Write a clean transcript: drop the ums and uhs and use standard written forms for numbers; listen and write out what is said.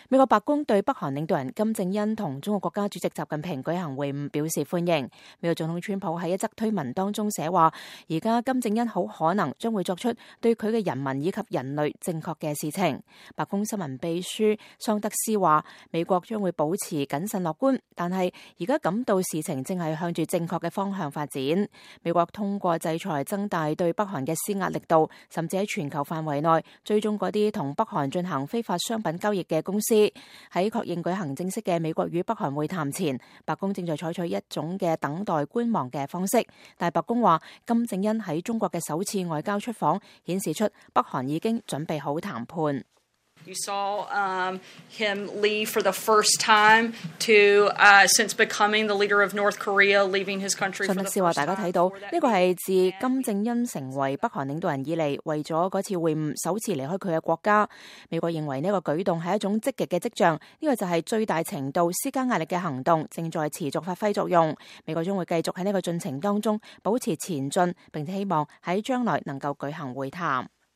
美國白宮對北韓領導人金正恩同中國國家主席習近平舉行會晤表示歡迎。美國總統川普喺一則推文當中寫話，而家金正恩好可能將會作出對佢嘅人民以及人類正確嘅事情。白宮新聞秘書桑德斯話，美國將會保持謹慎樂觀，但係而家感到事情正係向住正確嘅方向發展。美國通過制裁增大對北韓嘅施壓力度，甚至喺全球範圍內追蹤嗰啲同北韓進行非法商品交易嘅公司。喺確認舉行正式嘅美國與北韓會談前，白宮正在採取一種嘅等待觀望嘅方式。但係白宮話，金正恩喺中國嘅首次外交出訪，顯示出北韓已經準備好談判。You saw him leave for the first time since becoming the leader of North Korea, leaving his country for the first time. 桑德斯話：大家睇到呢個係自金正恩成為北韓領導人以嚟，為咗嗰次會晤首次離開佢嘅國家。美國認為呢個舉動係一種積極嘅跡象，呢個就係最大程度施加壓力嘅行動，正在持續發揮作用。美國將會繼續喺呢個進程當中保持前進，並且希望喺將來能夠舉行會談。